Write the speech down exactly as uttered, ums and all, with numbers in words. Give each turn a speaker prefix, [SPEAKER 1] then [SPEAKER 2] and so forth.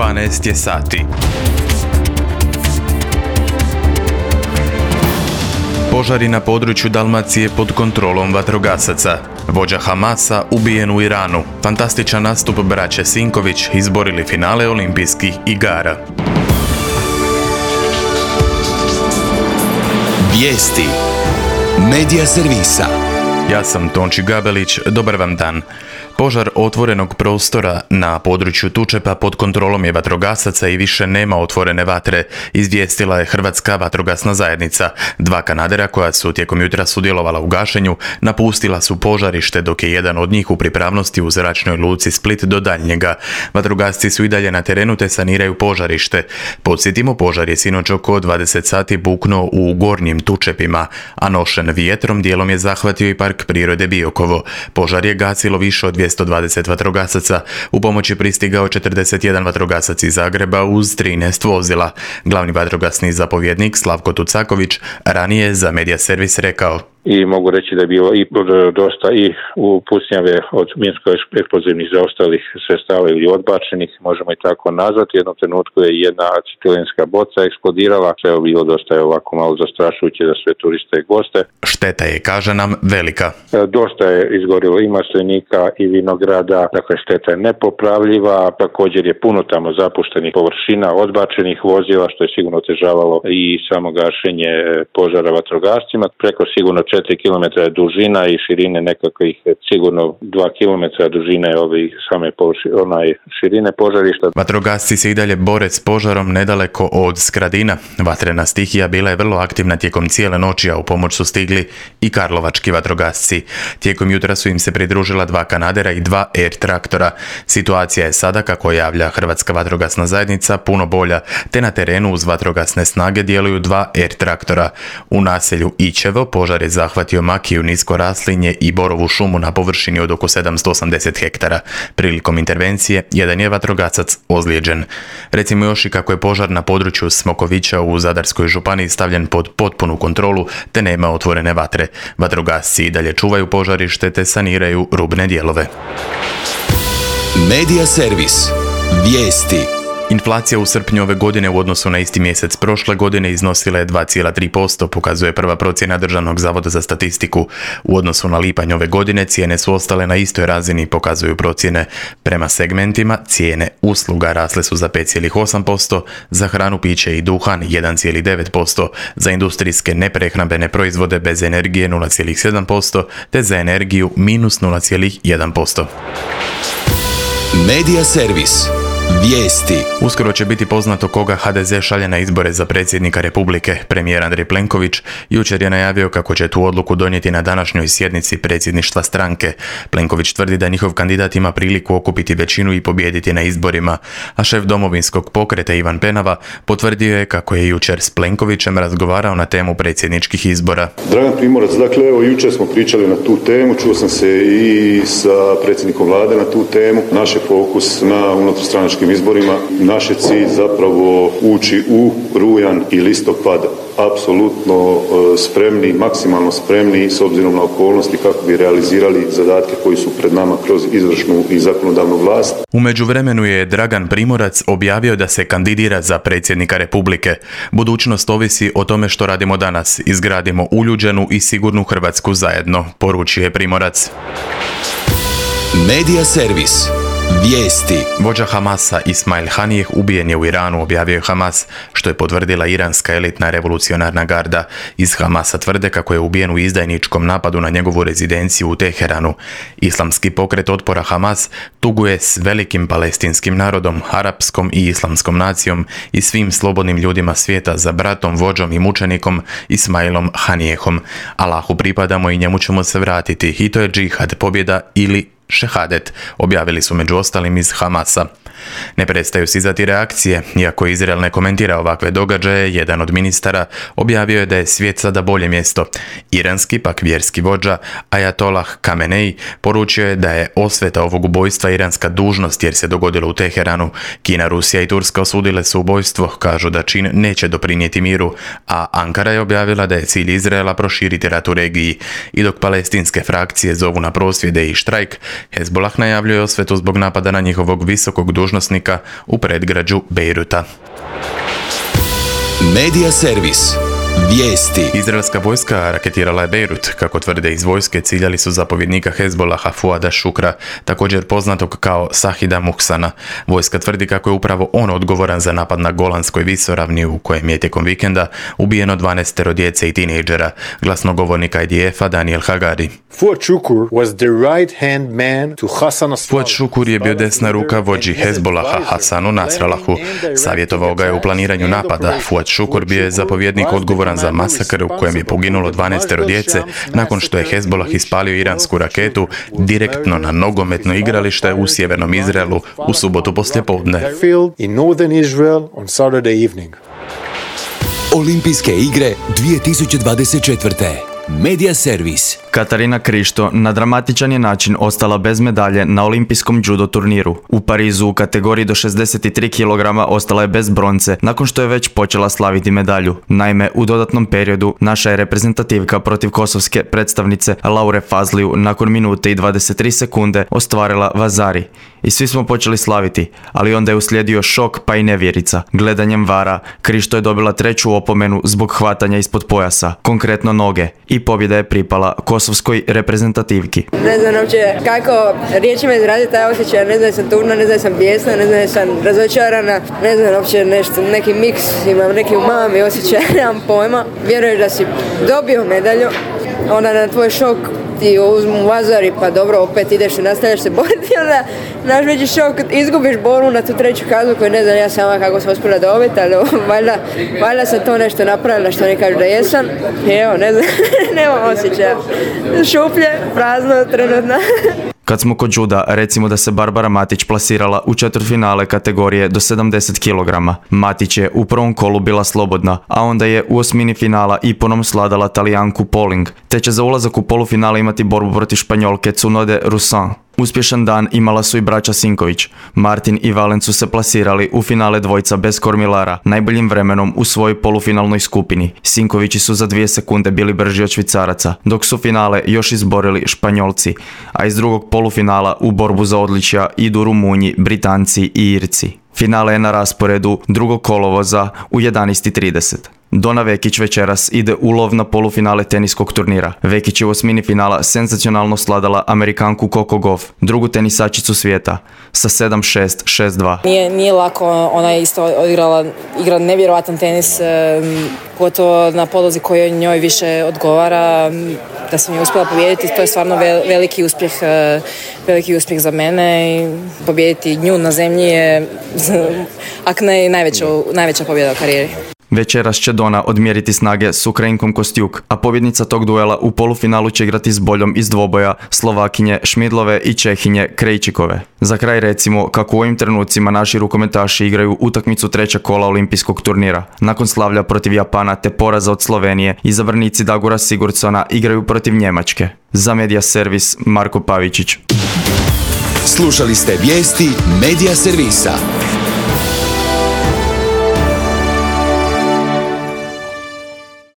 [SPEAKER 1] dvanaest je sati. Požari na području Dalmacije pod kontrolom vatrogasaca. Vođa Hamasa ubijen u Iranu. Fantastičan nastup braće Sinković izborili finale olimpijskih igara.
[SPEAKER 2] Vijesti Medija servisa.
[SPEAKER 1] Ja sam Tonči Gabelić, dobar vam dan. Požar otvorenog prostora na području Tučepa pod kontrolom je vatrogasaca i više nema otvorene vatre, izvijestila je Hrvatska vatrogasna zajednica. Dva kanadera koja su tijekom jutra sudjelovala u gašenju napustila su požarište dok je jedan od njih u pripravnosti u zračnoj luci Split do daljnjega. Vatrogasci su i dalje na terenu te saniraju požarište. Podsjetimo, požar je sinoć oko dvadeset sati buknuo u gornjim Tučepima, a nošen vjetrom dijelom je zahvatio i park prirode Biokovo. Požar je gasilo više od dvjesto dvadeset vatrogasaca. U pomoć je pristigao četrdeset jedan vatrogasac iz Zagreba uz trinaest vozila. Glavni vatrogasni zapovjednik Slavko Tucaković ranije je za Medija servis rekao:
[SPEAKER 3] I mogu reći da je bilo i dosta i u pucnjave od minsko-eksplozivnih zaostalih sredstava ili odbačenih, možemo i tako nazvati. U jednom trenutku je jedna acetilenska boca eksplodirala, sve je bilo dosta je ovako malo zastrašujuće za sve turiste i goste.
[SPEAKER 1] Šteta je, kaže nam, velika.
[SPEAKER 3] Dosta je izgorilo i maslinika i vinograda, dakle šteta je nepopravljiva, također je puno tamo zapuštenih površina, odbačenih vozila, što je sigurno otežavalo i samo gašenje požara vatrogascima. Preko sigurno četiri kilometra je dužina i širine nekakvih sigurno dva kilometra dužine ove same površine, onaj širine požarišta.
[SPEAKER 1] Vatrogasci se i dalje bore s požarom nedaleko od Skradina. Vatrena stihija bila je vrlo aktivna tijekom cijele noći, a u pomoć su stigli i karlovački vatrogasci. Tijekom jutra su im se pridružila dva kanadera i dva air traktora. Situacija je sada, kako javlja Hrvatska vatrogasna zajednica, puno bolja, te na terenu uz vatrogasne snage djeluju dva air traktora. U naselju Ićevo požar je zahvatio makiju, nisko raslinje i borovu šumu na površini od oko sedamsto osamdeset hektara. Prilikom intervencije jedan je vatrogasac ozlijeđen. Recimo još i kako je požar na području Smokovića u Zadarskoj županiji stavljen pod potpunu kontrolu te nema otvorene vatre. Vatrogasci i dalje čuvaju požarište te saniraju rubne dijelove.
[SPEAKER 2] Medija servis. Vijesti.
[SPEAKER 1] Inflacija u srpnju ove godine u odnosu na isti mjesec prošle godine iznosila je dva zarez tri posto, pokazuje prva procjena Državnog zavoda za statistiku. U odnosu na lipanj ove godine cijene su ostale na istoj razini, pokazuju procjene. Prema segmentima cijene usluga rasle su za pet zarez osam posto, za hranu, piće i duhan jedan zarez devet posto, za industrijske neprehrambene proizvode bez energije nula zarez sedam posto, te za energiju minus nula zarez jedan posto.
[SPEAKER 2] Medija servis. Vijesti.
[SPEAKER 1] Uskoro će biti poznato koga ha de ze šalje na izbore za predsjednika Republike. Premijer Andrej Plenković jučer je najavio kako će tu odluku donijeti na današnjoj sjednici predsjedništva stranke. Plenković tvrdi da njihov kandidat ima priliku okupiti većinu i pobijediti na izborima, a šef Domovinskog pokreta Ivan Penava potvrdio je kako je jučer s Plenkovićem razgovarao na temu predsjedničkih izbora.
[SPEAKER 4] Dragan Primorac, dakle evo jučer smo pričali na tu temu, čuo sam se i sa predsjednikom vlade na tu temu. Naš je fokus na unutarstranačkim izborima. Naš je cilj zapravo ući u rujan i listopad apsolutno spremni, maksimalno spremni s obzirom na okolnosti kako bi realizirali zadatke koji su pred nama kroz izvršnu i zakonodavnu vlast.
[SPEAKER 1] U međuvremenu je Dragan Primorac objavio da se kandidira za predsjednika Republike. Budućnost ovisi o tome što radimo danas. Izgradimo uljuđenu i sigurnu Hrvatsku zajedno, poručio je Primorac.
[SPEAKER 2] Medija servis. Vijesti.
[SPEAKER 1] Vođa Hamasa Ismail Hanijeh ubijen je u Iranu, objavio je Hamas, što je potvrdila iranska elitna revolucionarna garda. Iz Hamasa tvrde kako je ubijen u izdajničkom napadu na njegovu rezidenciju u Teheranu. Islamski pokret otpora Hamas tuguje s velikim palestinskim narodom, arapskom i islamskom nacijom i svim slobodnim ljudima svijeta za bratom, vođom i mučenikom Ismailom Hanijehom. Allahu pripadamo i njemu ćemo se vratiti, i to je džihad, pobjeda ili šehadet, objavili su među ostalim iz Hamasa. Ne prestaju stizati reakcije. Iako Izrael ne komentira ovakve događaje, jedan od ministara objavio je da je svijet sada bolje mjesto. Iranski pak vjerski vođa Ajatolah Kamenei poručio je da je osveta ovog ubojstva iranska dužnost jer se dogodilo u Teheranu. Kina, Rusija i Turska osudile su ubojstvo, kažu da čin neće doprinijeti miru, a Ankara je objavila da je cilj Izraela proširiti rat u regiji. I dok palestinske frakcije zovu na prosvjede i štrajk, Hezbollah najavljuje osvetu zbog napada na njihovog visokog dužnosnika dužnosnika u predgrađu Bejruta.
[SPEAKER 2] Medija servis. Vijesti.
[SPEAKER 1] Izraelska vojska raketirala je Bejrut. Kako tvrde iz vojske, ciljali su zapovjednika Hezbolaha Fuada Šukra, također poznatog kao Sahida Muhsana. Vojska tvrdi kako je upravo on odgovoran za napad na Golanskoj visoravni u kojem je tijekom vikenda ubijeno dvanaest djece i tinejdžera. Glasnogovornik I D F-a Daniel Hagari.
[SPEAKER 5] Fuad Šukur was the right-hand man to Hassan Nasrallah.
[SPEAKER 1] Fuad Šukur je bio desna ruka vođi Hezbolaha Hasanu Nasrallahu. Savjetovao ga je u planiranju napada. Fuad Šukur bio je zapovjednik odgovoran za masakr u kojem je poginulo dvanaest djece nakon što je Hezbolah ispalio iransku raketu direktno na nogometno igralište u sjevernom Izraelu u subotu poslijepodne.
[SPEAKER 2] Olimpijske igre dvije tisuće dvadeset četvrte. Medija servis.
[SPEAKER 6] Katarina Krišto na dramatičan je način ostala bez medalje na olimpijskom judo turniru. U Parizu u kategoriji do šezdeset tri kilograma ostala je bez bronce nakon što je već počela slaviti medalju. Naime, u dodatnom periodu naša je reprezentativka protiv kosovske predstavnice Laure Fazliju nakon minute i dvadeset tri sekunde ostvarila vazari. I svi smo počeli slaviti, ali onda je uslijedio šok pa i nevjerica. Gledanjem vara, Krišto je dobila treću opomenu zbog hvatanja ispod pojasa, konkretno noge, i pobjeda je pripala kosovskoj reprezentativki.
[SPEAKER 7] Ne znam uopće kako riječima izraziti taj osjećaj, ne znam da sam tužna, ne znam da sam bijesna, ne znam da sam razočarana, ne znam uopće nešto, neki miks, imam neki umami osjećaj, nemam pojma. Vjeruješ da si dobio medalju, onda na tvoj šok ti uzmu vazari, pa dobro, opet ideš i nastavljaš se boriti, onda naš veći šok, izgubiš borbu na tu treću kaznu koju ne znam ja sama kako sam uspjela dobiti, ali valjda, valjda sam to nešto napravila što ne kažu da jesam. I evo, ne znam, nemam osjećaja. Šuplje, prazno, trenutno.
[SPEAKER 6] Kad smo kod juda, recimo da se Barbara Matić plasirala u četvrtfinale kategorije do sedamdeset kilograma. Matić je u prvom kolu bila slobodna, a onda je u osmini finala iponom sladala Talijanku Poling, te će za ulazak u polufinale imati borbu protiv Španjolke Tsunode Rusan. Uspješan dan imala su i braća Sinković. Martin i Valen su se plasirali u finale dvojca bez kormilara, najboljim vremenom u svojoj polufinalnoj skupini. Sinkovići su za dvije sekunde bili brži od Švicaraca, dok su finale još izborili Španjolci, a iz drugog polufinala u borbu za odličja idu Rumunji, Britanci i Irci. Finale je na rasporedu drugog kolovoza u jedanaest i trideset. Dona Vekić večeras ide u lov na polufinale teniskog turnira. Vekić je u osmini finala senzacionalno sladala Amerikanku Coco Gauff, drugu tenisačicu svijeta, sa sedam šest, šest dva.
[SPEAKER 8] Nije, nije lako, ona je isto odigrala igra nevjerojatan tenis, pogotovo na podlozi kojoj njoj više odgovara. Da sam je uspjela pobijediti, to je stvarno veliki uspjeh, veliki uspjeh za mene i pobijediti nju na zemlji je ak ne najveća, najveća pobjeda u karijeri.
[SPEAKER 6] Večeras će Dona odmjeriti snage s Ukrajinkom Kostjuk, a pobjednica tog duela u polufinalu će igrati s boljom iz dvoboja Slovakinje Šmidlove i Čehinje Krejčikove. Za kraj recimo kako u ovim trenucima naši rukometaši igraju utakmicu trećeg kola olimpijskog turnira. Nakon slavlja protiv Japana te poraza od Slovenije, izabranici Dagora Sigurdsona igraju protiv Njemačke. Za Medija servis Marko Pavičić.
[SPEAKER 2] Slušali ste vijesti Medija servisa.